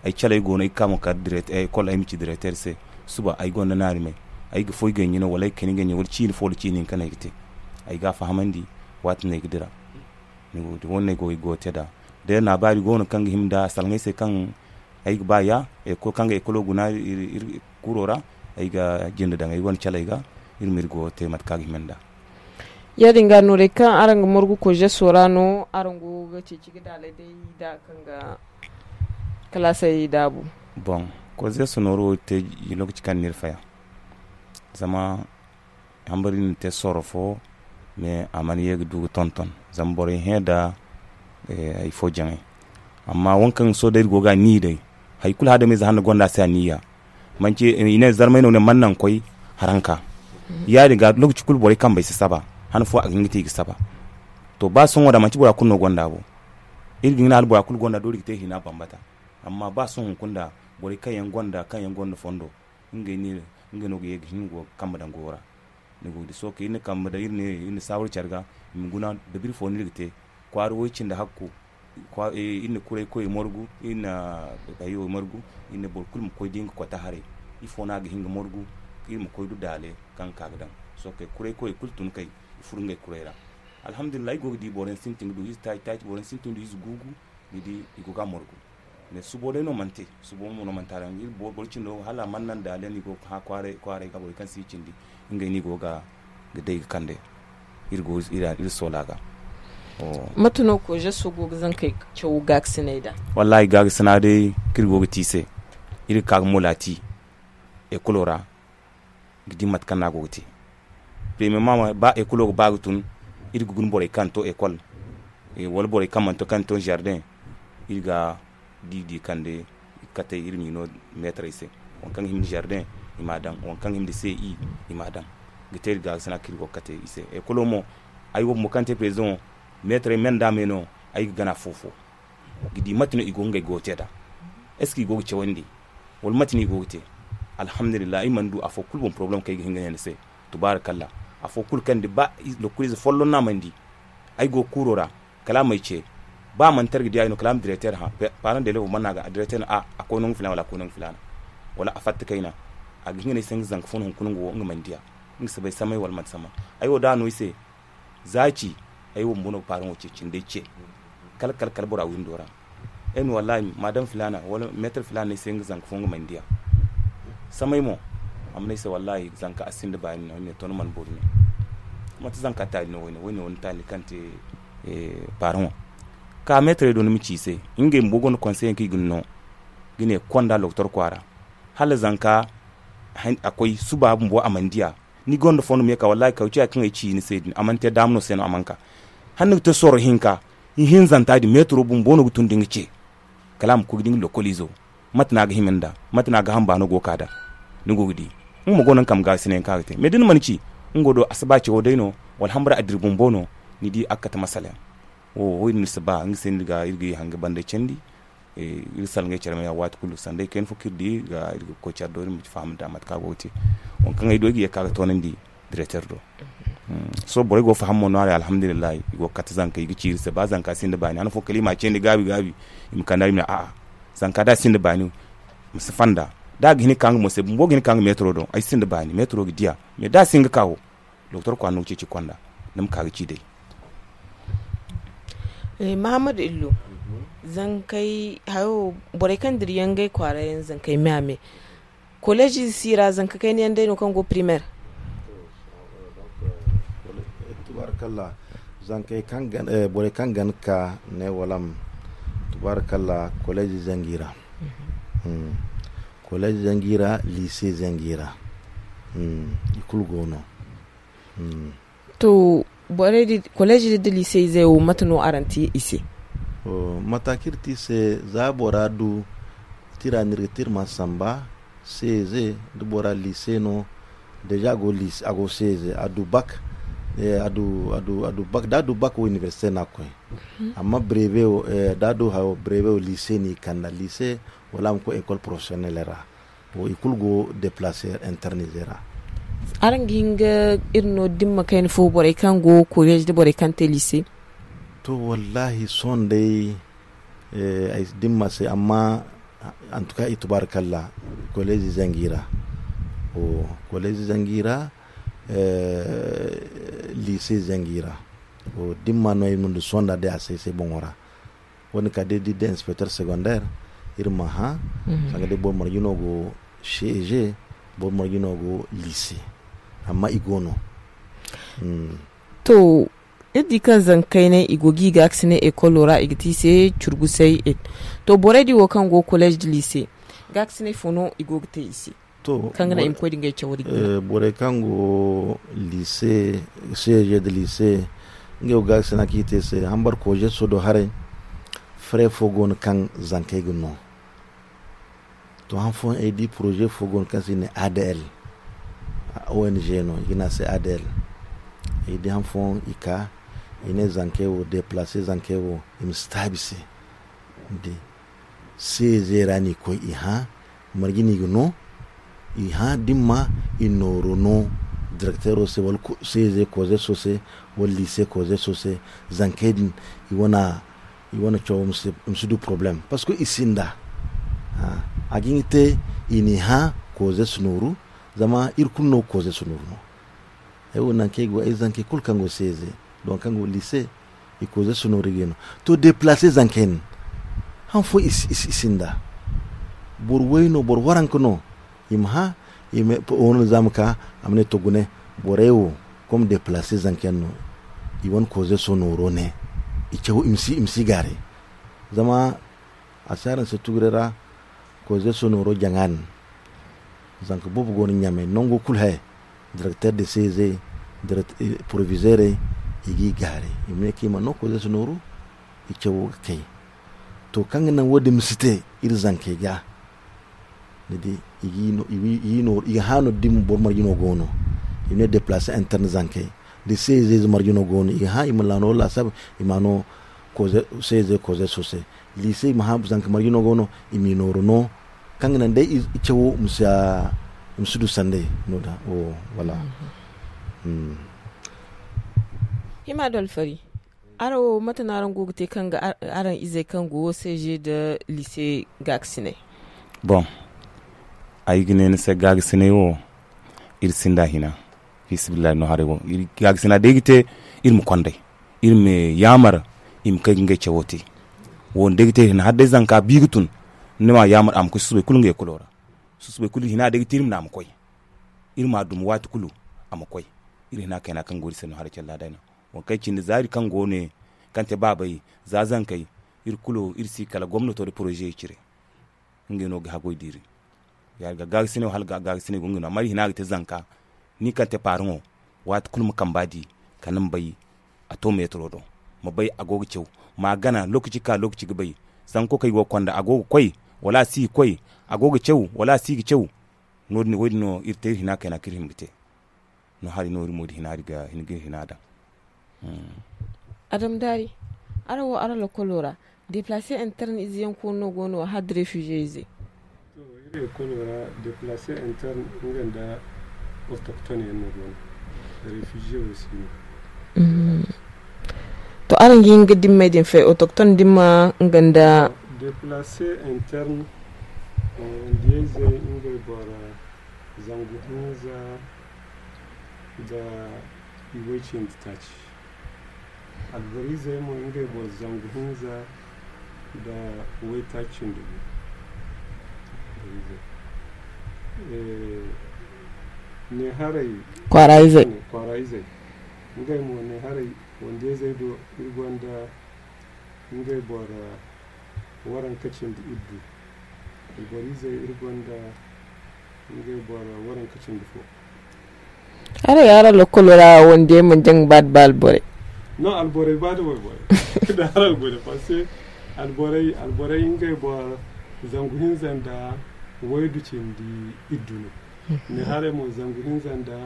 Ay caley go no ay ga ka mo kala ekol ay ma ci direter se. Suba ay gonda naarimay. ay ga foy ganji no wala ay ga kani ganji wala ciini fo wala ciini hinka no ay ga te. Ay ga a fahamandi waati no ay ga dira. Ni go ga di wane no ay go ga te nd'a. Day no a baari go no kaŋ ga hima nd'a salaŋ ay se kaŋ ay ga ba ya, kaŋ ga ekolo guna iri kuro ra. Ay ga jinde daŋ ay wane caley ga, iri ma iri go ga te mate kaŋ a ga hima nd'a. Ya- din ga no day kaŋ araŋ ga margu kozeso ra no araŋ go ga ceeci ga daalay day da kaŋ ga kalaasey daabu. Bon, kozeso nooru wo te lokaci kaŋ no iri faya zama hambari no te sorro fo. Mais a mana ye ga du ga tonton zama borey hẽ da hari fo jaŋay. Amma wo kaŋ sohõ day iri go ga a ni day hari kulu hadamize hanno gonda a se a niya. Manci i ne zarmay no ne mana naŋ koy haranka. Ya- din ga lokaci kulu borey kambey si saba han fo a ga hin ga te i ga saba. To ba sohõ da manci bora kulu no gonda bo. Iri ga hin hala bora kulu gonda doori ga te hina bambata. Amma ba sohõ hunkuna da borey kaŋ yaŋ gonda kaŋ yaŋ gonda fondo ngey no ga ye ga hin ga go ga kambe daŋ goyo ra. Ni go ga di sohõ kaŋ iri na kambe daŋ iri na saawar care ga i ma guna dabiri fo no iri ga te. Kwaara way cindi hakku iri na kuray koy margu iri na hayo margu. Iri na boro kulu ma koy da nga kota haray ifo no a ga hin ga margu iri ma koy du daale kaŋ ga ka ga daŋ. Sohõ kay kuray koy kulu tun kay i furo ngey kuray ra. Alhamdulillahi i go ga di boro yaŋ sintin ga du ize taaci taaci boro yaŋ sintin ga du ize guugu. Ni di i go ga a margu. Mais subo day no mana te. Subo mo no mana te a daŋ iri boro cindo hala a mana naŋ daale no i go ga hã kwaaray ga borey kaŋ si i cindi ngey no i go ga day ga kande. Iri go iri soola ga. Mate no kozeso go ga zankey caw gaagasinay da? Wallahi gaagasina day kaŋ iri go ga te i se. Iri ga ka ga mola te ekolo ra ga di mate kaŋ no a go ga te. Premierement ba ekolo ga ba ga tun iri ga guna borey kaŋ to ekol wala borey kaŋ mana to kaŋ to jardin. Iri ga di di kande katey iri ma i no meetarey se. Waŋ kaŋ ga hima nda jardin i ma a daŋ waŋ kaŋ ga hima nda ce i ma a daŋ. Ga te iri gaagasina kaŋ iri go ga kate i se ekolo mo. Ay wo bumbo kaŋ te président meetarey me nda me no ay ga gana fo fo ga di mate no i go ga ngey goyo te nd'a. Est ce que i go ga cawandi wala mate no i go ga te? Alhamdulillahi ay mana du afo kulu boŋ problème kaŋ ay ga hin ga ne ni se. Tubaarakalla. Afo kulu kaŋ ni di ba lokkoliize folloŋ no a mana di. Ay go ga kuuro ra kala a m'ay ce. Ba a mana te ay ga di ay no kala a ma directeur hã. Parent d'élève mana no a ga directeur no a a koy nangu filaana wala a koy nangu filaana wala a fatta kayna. A ga hin ga ne ay se nga zanka fo no hunkuna nga wo nga mana di a. Nga si bay samay wala manti samay. Ay wo da a no ay se za ci. Ay wo bumbo no ga paaraŋo ce cindey ce. Kala kala kala bora windo ra. Ay ma ne wallahi madam filaana wala meetar filaana no ay se nga zanka fo nga mana di a. Samay mo a ma ne ay se wallahi zanka a sinda baani no ay ne to ni mana boori no. Manti zanka taali no wayne wayne wala ni taali kaŋ te. Paaraŋo ka meetarey do ni ma ci i se. Ngey bumbo gonda konseyaŋ kaŋ i ga ni no ga ne konda doktor kwaara hala zanka a koy suba bumbo a mana di a. Ni gonda fondo ma ye ka wallahi kawciya kaŋ ay ci ni se din a mana te daama no se no a mana ka. Hala ni ga te sorro hinka ihinzanta din meetaro bumbo no ga tun da nga ce. Kala a ma koy ga di nga lokkoliizo mate no a ga hima nd'a mate no a ga hamba no go ga ka nd'a. Ni go ga di nga mo go no nga kambe gaasinayaŋ kaŋ a ga te mais da ni mana ci nga wo do a si ba cawo day no wala hambara a dira bumbo no. Ni di a ga kate masala yaŋ wo wo iri no si ba nga se no iri ga iri ga ye hanga banda candi. Iri salaŋ ay care ma ya waati kulu sanda ay kayna fo kaŋ iri di ga iri ga koy care do iri ma faham da mate kaŋ a go ga te. Waŋ kaŋ ay do ay ga ye ga ka ga toonandi directeur do. Sohõ borey go ga faham mo no a ra alhamdulillahi i go ga kate zanka i ga ci iri se ba zanka sinda baani han fo kala i ma a candi gaabi gaabi. I ma kand'a iri ma ne a'a zanka da a sinda baani. Ma si fanda da a ga hin ga ka nga mo se bumbo ga hin ga ka nga meetaro do ay sinda baani meetaro ga di a. Mais da a si hin ga ka wo doktor kwaara no ga ceeci konda ni ma ka ga ci day. Mahammadu illo zankey hayo borey kaŋ dira yaŋ ngey kwaara yaŋ zankey me a me. Koleezi si ra zanka kayna yaŋ day no kaŋ go primaire. Tubaarkalla. Zankey kaŋ borey kaŋ ga ni ka ne wala ma tubaarkalla koleezi zangi ra. Koleezi zangi ra liise zangi ra. I kulu go no. To borey din koleezi din da liise izey wo mate no araŋ te i se? Mate kaŋ iri te i se za bora du tira no iri ga te iri mana samba. Seeze da bora liise no deeza a go seeze a du bak. A du bak da a du bak wo inibersite no a ga koy. Amma breve wo da a du hayo breve wo liise no i kand'a liise wala a ma koy ekol porofesiyonel ra. Wo i kulu go deplaase interne ize ra. Araŋ ga hin ga iri no dimma kayna fo borey kaŋ go koleez da borey kaŋ te liise? To wallahi sohõ day ay dimma se amma antuka i tubaarkalla koleez ize nga i ra. Collège zangi ra, lycée zangi ra. Dimma no ay ma du sonda day a se ay se boŋo ra. Wo- din ka day da i di inspecteur secondaire, iri ma hã sanga day boro marje no go ceg, boro marje no go lycée. Amma i go no. To, iri di kaŋ zankey ne i go ga i gaakasinay ekolo ra i ga te i se curgusay. To, borey din wo kaŋ go collège da lycée, gaakasinay fo no i go ga te i se? Kaŋ ga naŋ i ma koy da ngey cawo din gana. Borey kaŋ go lycée, ceg da lycée, ngey wo gaakasina kaŋ i te i se hambar kozeso do haray. Frais fo go no kaŋ zankey ga no. To, han fooyaŋ ay di projet fo go no kaŋ se i ne adl, ong no i ga ne a se adl. Ay di han fooyaŋ i ka, i ne zankey wo déplacer zankey wo, i ma si taabi se. Ni di, ceg ra no i koy i hã marje no i ga no. I hã dimma, i nooru no directeuro se wala ceg kozeso se, wala lycée kozeso se. Zankey din, i wane cawo ma si du problème parce que i sinda. A ga hin ga te, i n'i hã kozeso nooru. Zama iri kulu no kozeso nooru no. Ay wo nangu kaŋ ay go ay zankey kulu kaŋ go ceg, da waŋ kaŋ go lycée, i kozeso nooru i ga no. To, déplacer zankey no, han fooyaŋ i sinda. Boro way no, boro waranka no. I ma hã, i ma wane zaama ka, a ma ne to gune, borey wo, comme déplacer zanka yaŋ no, i wane kozeso nooro ne, i caw i ma si gaaray. Zama a si araŋ se tuguray ra, kozeso nooro jaŋa din. Zanka boobo go no ɲamay nango kulu haya, directeur de ceg, proviseurey, i g'i gaaray, i ma ne kaŋ i mana no kozeso nooru, i cawo ga kay. To, kaŋ ga naŋ wo- din ma si te iri zankey ga, ni di, i ga hã no da boro marje no go no, i ma ne déplacer interne zankey, da ceg marje no go no, i ga hã i ma laano laasab, i ma no ceg kozeso se. Lycée, i ma hã zanka marje no go no, i m'i nooru no, kaŋ ga naŋ day i cawo ma si du sanday no da. Wala. Hima da alfari, araŋ wo mate no araŋ go ga te kaŋ ga araŋ izey kaŋ go wo cg nda lycée gaakasinay? Bon, ay ga ne ni se gaakasinay wo, iri sinda hina. Fisibillahi no haray wo, iri gaakasinay day ga te, iri ma konday, iri ma yaamar i ma kay ga ngey cawo te. Wo- din day ga te hina hala day zanka bi ga tun, ni ma yaamar a ma koy susubay kulu ngey kulo ra. Susubay kulu hina day ga te iri ma ne a ma koy. Iri ma a duma waati kulu, a ma koy. Iri hina kayna kaŋ go iri se no haray calla day no. Waŋ kaŋ cindi za iri kaŋ go ne, kaŋ te baabey, za zankey, iri kulu iri si kala gomnato nda poroze cire. Ngey no ga haggoy diri. Ya- din ga gaagasinay wo hala gaagasinay go ngey no amma iri hina ga te zanka. Ni kaŋ te paaraŋo, waati kulu ma kamba di, kala ni ma bay a to meetaro do. Ma bay a go ga caw, ma a gana lookaci ka lookaci ga bay. Sanko kaŋ i go ga konda a go ga koy, wala a si ga koy. A go ga caw, wala a si ga caw. No- din wo- din no iri te iri hina kayna kaŋ iri hima ga te. No hari no iri mo da hina iri ga hin ga iri hina daŋ. Adam daari, araŋ wo araŋ lokolo ra, déplacer interne ize yaŋ koonu no go no hala da réfugié ize? To, iri ekolo ra, déplacer interne nga nda autochtone yaŋ no go no. Réfugié wo si no. To, araŋ ga hin ga dimmey din fay, autochtone dimma nga nda? Déplacer interne, wandiyayzey ngey boro zangu hinza nda iway cindi taaci. Alborizey mo ngey boro zangu hinza nda waytaaci nda gu. Neeharay kwaara izey, ngey mo neeharay wandiyayzey do iri gonda ngey boro waranka cindi iddu. Alborizey iri gonda ngey boro waranka cindi fo. Araŋ ya araŋ lokolo ra wandiyey mana jaŋ ba da ba alborey? Non, alborey ba da wayborey. Da araŋ gune parce que alborey alborey ngey boro zangu hinza nda waydu cindi iddu no. Neeharay mo zangu hinza nda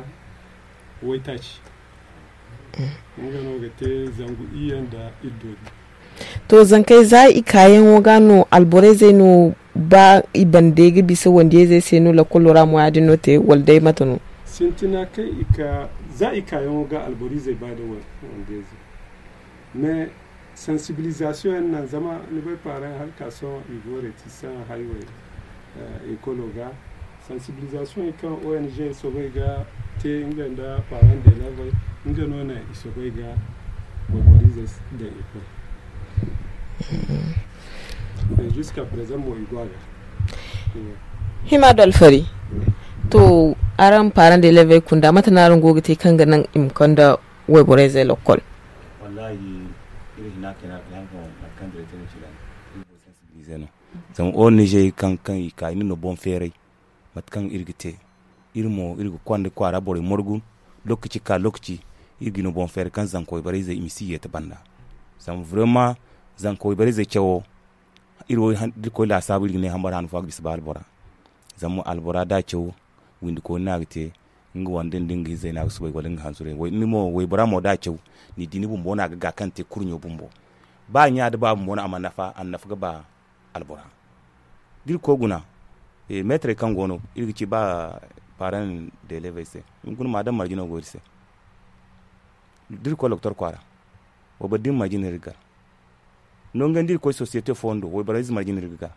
waytaaci. Nga no ga te zangu iyye nda iddo din. To, zankey za i kaayaŋo ga no alborayzey no ba i bande ga bisa wandiyayzey se no lakolo ra mo ya- din no te wala day mate no? Sintina kaŋ i ka za i kaayaŋo ga alborizey ba da wandiyayzey. Mais sensibilisation yaŋ naŋ zama ni bay paaraŋ hala ka sohõ i go réticent haywey ekolo ga. Sensibilisation kaŋ ong soobay ga te nga nda parent de levey, nga no naŋ i soobay ga wayborize daŋ i koy. Jusqu'à présent mo i go a ga. Hima da alfari. To, araŋ parent de levey kunda mate no araŋ go ga te kaŋ ga naŋ i ma konda wayborey zey lokkol? Wallahi, iri hina kena ga hankan mate kaŋ directeur no ci ga iri go sensibiliser no. Zama ong kaŋ i ka i na no boŋ feeray. Mate kaŋ iri ga te, iri mo iri ga konda kwaara borey morgu. Lokaci ka lokaci, iri ga no boŋ feeray kaŋ zanka wayborey zey i ma si yeete banda. Zama vraiment, zanka wayborey zey cawo, iri wo da iri koy laasaabu iri ga ne hambar hano fo a ga bisa ba albora. Zama albora da a caw, windi kooni no a ga te, nga wande nda nga izey no a ga soobay wala nga hansurey. Ni mo waybora mo da a caw, ni di ni bumbo no a ga ga kaŋ te kurɲo bumbo. Ba ɲa da ba bumbo no a ma nafa a nafa ga ba albora. Da iri koy guna, meetarey kaŋ go no iri ga ci ba parent de levey se, hunkuna ma daŋ marje no go iri se. Da iri koy lokotor kwaara, wayboro da iri marje no iri ga gar. Nangu yaŋ da iri koy sosiyete fooyaŋ do wayboro ize marje no iri ga gar.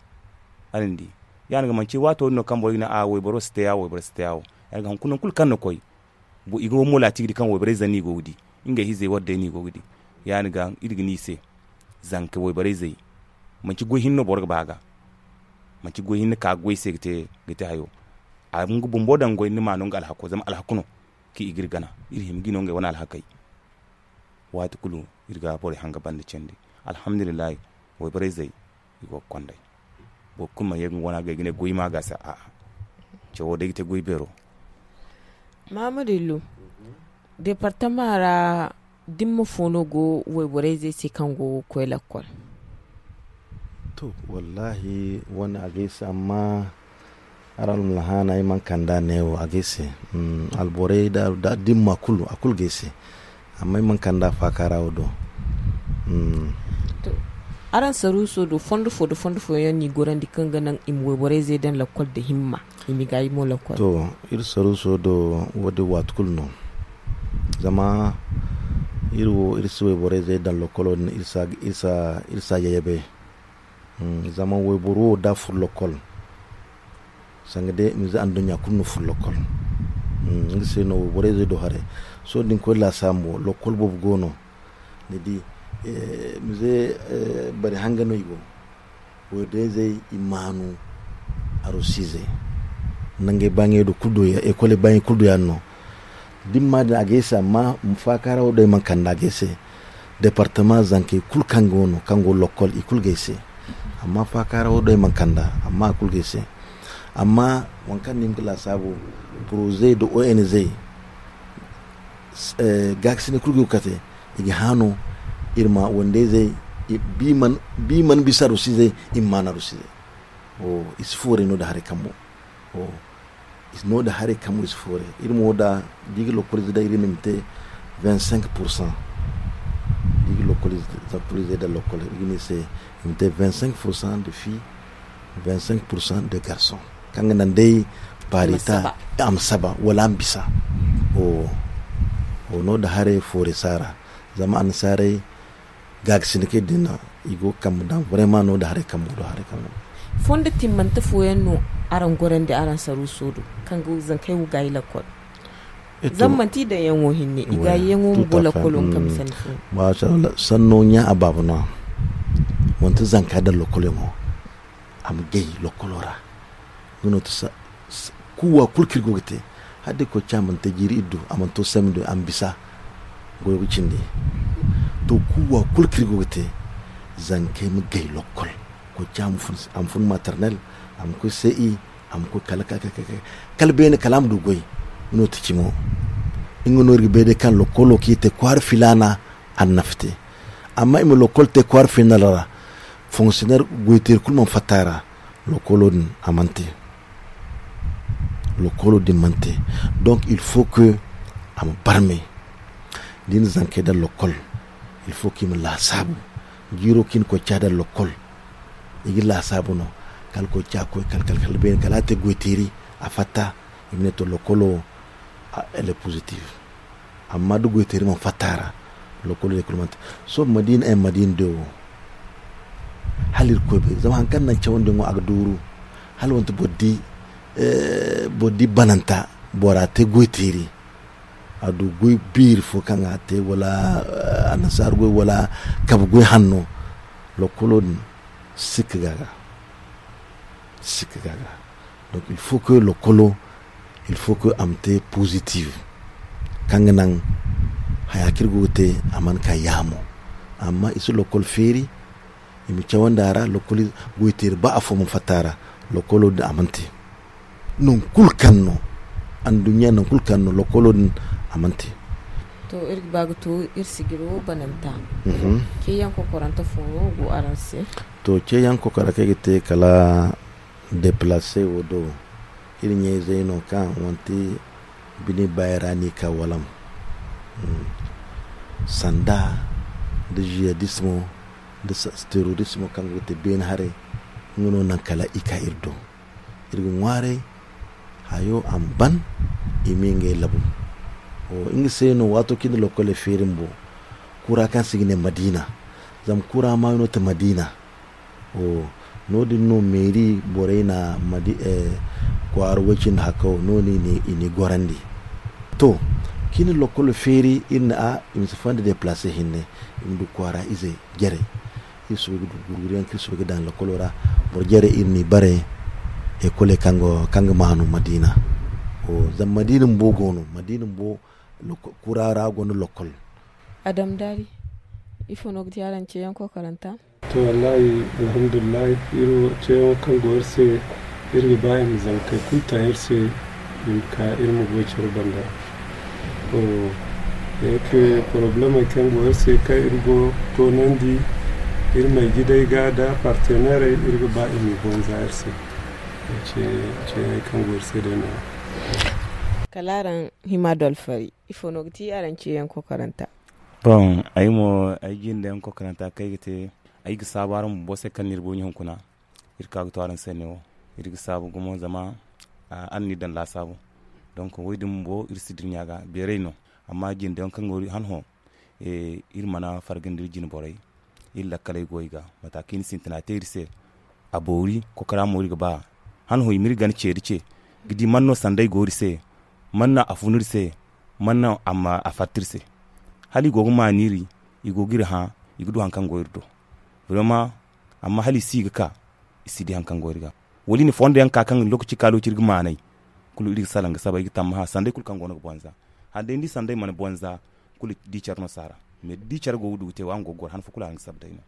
Araŋ di, ya- din ga manci waato din no kaŋ boro ga ne a wayboro si te ya wo wayboro si te ya wo. Ya- din ga hunkuna nangu kulu kaŋ ni koy, i ga wamo laati ga di kaŋ wayborey zane no i go ga di, ngey izey wadde no i go ga di. Ya- din ga iri ga ne i se, zanka wayborey zey, manci goy hinne no boro ga ba a ga. Manci goy hinne ka goy se ga te hayo. A ma nga bumbo daŋ goy ni ma no nga alhako zama alhaku no. Kaŋ i ga iri gana, iri hima ga i no ngey wane alhakey. Waati kulu iri ga borey hanga banda candi. Alhamdulillahi, wayborey zey i go ga konday. Boro kulu mana ye ga nga wana ga ay ga ne goy ma ga se a'a. Cawo day ga te goy beero. Maamadu illu, departama ra dimma fo no go wayborey zey se kaŋ go ga koy lakkol? To, wallahi wane a ga ay se amma, araŋ almulahana ay mana kand'a neewo a ga ay se. Alborey da dimma kulu a kulu ga ay se. Amma ay mana kand'a faakaara wo do. Araŋ saruuso do fondo fo nda fondo fooyaŋ no i gorandi kaŋ ga naŋ i ma wayborey zey daŋ lakkol nda himma, i ma i gaayi mo lakkol? To, iri saruuso do wo- din waati kulu no. Zama iri wo iri si wayborey zey daŋ lakkolo din iri si a yayabay. Zama wayboro wo da a furo lakkol, sanga day mize anduɲɲa kulu na furo lakkol. Nga se no wayborey zey do haray. Sohõ da ni koy laasaabu mo lakkol boobo go no. Ni di, mize bari hanga no i go. Wayborey zey i maanu, arosiizey, nangey baaɲey do kulu do ya- ekoley baaɲey kulu do ya- din no. Dimma din a ga ay se amma faakaara wo do ay mana kand'a ga ay se. Departama zankey kulu kaŋ go no kaŋ go lakkol i kulu ga ay se. Amma faakaara wo do ay mana kand'a amma a kulu ga ay se. Amma waŋ kaŋ ni hima ga laasaabu, poroze nda ong, gaakasinay kulu go ga kate. I ga hã no iri ma wandeyzey, bi mana bisa arosiizey, i ma maan arosiizey. I si fooray no da haray kambo. No da haray kambo i si fooray. Iri mo da, da i ga lokolize daŋ iri ma i ma te vingt cinq pour cent. Da i ga lokolize daŋ lokol iri ga ne i se, i ma te vingt cinq pour cent de filles, vingt cinq pour cent de garçons. Kaŋ ga naŋ day paarita a ma saba wala a ma bisa. No da haray fooray si a ra. Zama annasaarey gaagasinakey din no i go ga kambe daŋ vraiment no da haray kambe do haray kambe. Fondo timmante fooyaŋ no araŋ gorandi araŋ saruuso do, kaŋ ga zankey wo gaayi lakkol? Zama manti i daŋyaŋo hinne i gaayiyaŋo ma go lakkolo nga kambe sanni fo. Masha Allah sanno ɲa a baaba no a manti zanka daŋ lakkol yaŋo. A ma gay lakkolo ra. Nga no ti kuuwa kulu kaŋ iri go ga te, hala day koy ca mana te jiiri iri du a mana to samindo a ma bisa. Goyo ga cindi. To kuuwa kulu kaŋ iri go ga te, zankey ma gay lakkol. Koy ca a ma fun maternel, a ma koy ce i, a ma koy kala kala beene kala a ma du goy. Nga no ti cimo. Nga no iri ga bay day kaŋ lakkolo kaŋ iri te kwaara filaana, a na nafa te. Amma i ma lakkol te kwaara filaana ra, fonksiyoner goyteeri kulu mana fatta a ra. Lakkolo din a mana te. Lakkolo din mana te. Donk il faut que a ma barmay. Da i na zankey daŋ lakkol, il faut que i ma laasaabu. Jiiro kaŋ i na koy ca daŋ lakkol, i ga laasaabu no. Kala koy ca koy kala kala kala beene kala a te goyteeri, a fatta. I ma ne to lakkolo, elle est positive. Amma da goyteeri mana fatta a ra, lakkolo day kulu mana te. Sohõ madiina ay madiina day wo, hala irkoy bay zama hari kaŋ naŋ cawandiyaŋo a ga duuru. Hala manti boro di Boro di bananta, bora te goy teeri, a du goy beeri fo kaŋ a te wala annasaara goy wala kabe goy hanno. Lokkolo din sikka ga ga. Sikka ga ga. Donc il faut que lokkolo il faut que a ma te positive, kaŋ ga naŋ haya kaŋ iri go ga te a mana ka yaamo. Amma i si lokkol feeri, i ma cawandi a ra lokkol goy teeri ba afo mana fatta a ra. Lokkolo din a mana te non kulu kaŋ no anduɲɲa non kulu kaŋ no lokkolo din a mana te. To iri ga ba ga to iri sijiro bananta. Ceeyaŋ kokorante fo no go araŋ se? To ceeyaŋ kokora kaŋ ay ga te kala deplace wo do, iri ɲayzey no kaŋ manti bine baayey ra no i ka walam. Sanda nda jihadismo nda terrorismo kaŋ go ga te beene haray, nga no naŋ kala i ka iri do. Iri ga ŋwaaray hayo a ma ban i ma ngey labu. Nga se no waato kaŋ i na lokkoley feeri bumbo, kura kaŋ se i ga ne madiina. Zama kura maayo no ti madiina. No- din no meeri borey na kwaara way-cindi hakka wo no- din i n'i gorandi. To, kaŋ i na lokkolo feeri iri ne a i ma si fonda deplace hinne, i ma du kwaara izey jare. Iri soobay ga du gurguriyaŋ kaŋ iri soobay ga daŋ lokkolo ra. Boro jare iri n'i bare, ekoley kaŋ ga maanu madiina. Zama madiina bumbo go no madiina bumbo, kura ra gonda lokkol. Adam daari, ifo no ga ti araŋ ceeyaŋ kokoranta? To wallahi, alhamdulillahi, iri ceeyaŋo kaŋ go iri se, iri ga ba i ma zankey kulu taŋ iri se, i ma ka iri ma goy care banda. Yake, poroblemey kaŋ go iri se kaŋ iri go toonandi iri may jidey ga nda partenerey, iri ga ba i ma i bonza iri se. Ceeyaŋey kaŋ go iri se day no- ya. Kala araŋ hima dolfari, ifo no ga ti araŋ ceeyaŋ kokoranta? Bon, ay mo ay jinde yaŋ kokoranta kaŋ ay ga te, ay ga saabu araŋ bumbo se kaŋ no iri boŋ hunkuna. Iri ka ga to araŋ se ne wo, iri ga saabu gumo zama araŋ no iri daŋ laasaabu. Donk wo- din bumbo iri si dirɲa ga beeray no. Amma jinde yaŋ kaŋ go iri han hõ, iri mana farga nda iri jine borey. Iri lakkaley go i ga mata kaŋ i na sintina te iri se. A boori kokora mo iri ga ba han hõ i ma iri gana ceeri ce ga di man no sanday go iri se, man no a fun iri se, man no a fatta iri se. Hala i go ga maani iri, i go ga iri hã, i ga du hari kaŋ go iri do. Vraiment, amma hala i si ga ka, i si di hari kaŋ go iri ga. Wala i na fondo yaŋ ka kaŋ lokaci ka lokaci iri ga maanay. Kulu iri ga salaŋ ga saba ay ga tammaha sanday kulu kaŋ go no ga bonza. Hala day ni di sanday mana bonza, kulu di care no si a ra. Mais da di care go ga du ga te wo araŋ go ga goro han fo kulu araŋ ga saba day no.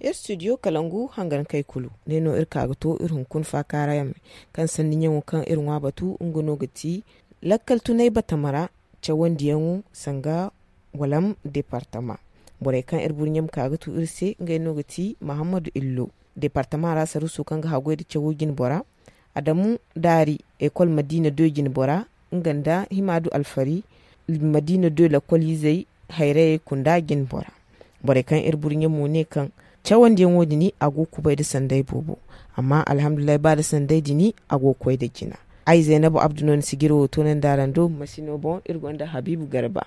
Iri studio kalangu hangankey kulu ne no iri ka ga to iri hunkuna faakaara yaŋ me. Kaŋ sanni ɲaŋo kaŋ iri ŋwa batu nga no ga ti lakkal tunay batama ra cawandiyaŋo sanga walam departama. Borey kaŋ iri burɲe ma ka ga tu iri se ngey no ga ti mahammadu illo, departama ra saruuso kaŋ ga haggoy nda cawo jine bora, adamu daari, ekol madiina doy jine bora, nga nda himaadu alfari, madiina doy lakkol-izey, hayrayey kunda jine bora. Borey kaŋ iri burɲe mo ne kaŋ cawandiyaŋo din a go ga kubay nda sanday boobo. Amma alhamdulillahi ba nda sanday din a go ga koy nda jina. Ay zaynabu abdu no ni sijiro wo toonandi araŋ do masino boŋ iri gonda habiibu garba.